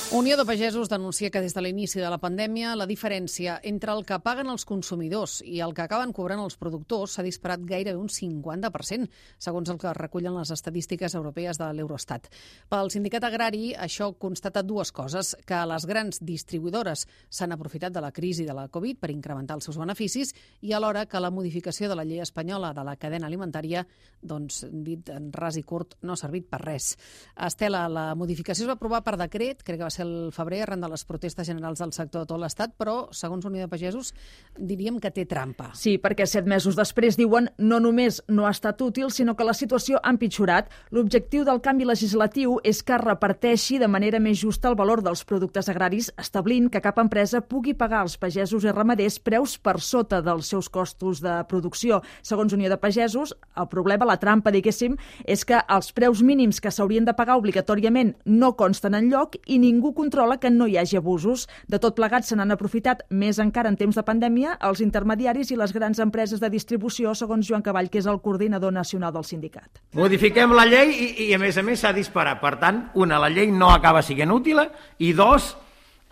Unió de Pagesos denuncia que des de l'inici de la pandèmia la diferència entre el que paguen els consumidors i el que acaben cobrant els productors s'ha disparat gairebé un 50%, segons el que recullen les estadístiques europees de l'Eurostat. Pel sindicat agrari, això constata dues coses: que les grans distribuïdores s'han aprofitat de la crisi de la Covid per incrementar els seus beneficis i alhora que la modificació de la llei espanyola de la cadena alimentària, doncs, dit en ras i curt, no ha servit per res. Estela, la modificació es va aprovar per decret, crec que va ser el febrer, arran de les protestes generals del sector de tot l'Estat, però, segons Unió de Pagesos, diríem que té trampa. Sí, perquè 7 mesos després, diuen, no només no ha estat útil, sinó que la situació ha empitjorat. L'objectiu del canvi legislatiu és que reparteixi de manera més justa el valor dels productes agraris, establint que cap empresa pugui pagar als pagesos i ramaders preus per sota dels seus costos de producció. Segons Unió de Pagesos, el problema, la trampa, diguéssim, és que els preus mínims que s'haurien de pagar obligatòriament no consten enlloc i ningú controla que no hi hagi abusos. De tot plegat se n'han aprofitat més encara en temps de pandèmia els intermediaris i les grans empreses de distribució, segons Joan Cavall, que és el coordinador nacional del sindicat. Modifiquem la llei i a més s'ha disparat. Per tant, una, la llei no acaba sent útil, i dos,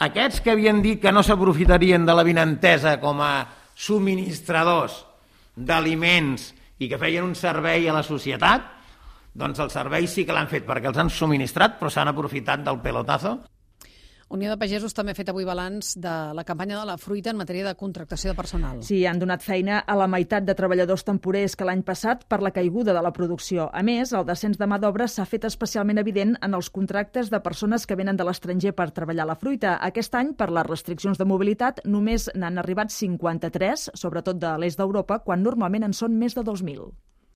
aquests que havien dit que no s'aprofitarien de l'avinentesa com a subministradors d'aliments i que feien un servei a la societat, doncs el servei sí que l'han fet perquè els han subministrat, però s'han aprofitat del pelotazo. Unió de Pagesos també ha fet avui balanç de la campanya de la fruita en matèria de contractació de personal. Sí, han donat feina a la meitat de treballadors temporers que l'any passat per la caiguda de la producció. A més, el descens de mà d'obra s'ha fet especialment evident en els contractes de persones que venen de l'estranger per treballar la fruita. Aquest any, per les restriccions de mobilitat, només n'han arribat 53, sobretot de l'est d'Europa, quan normalment en són més de 2.000.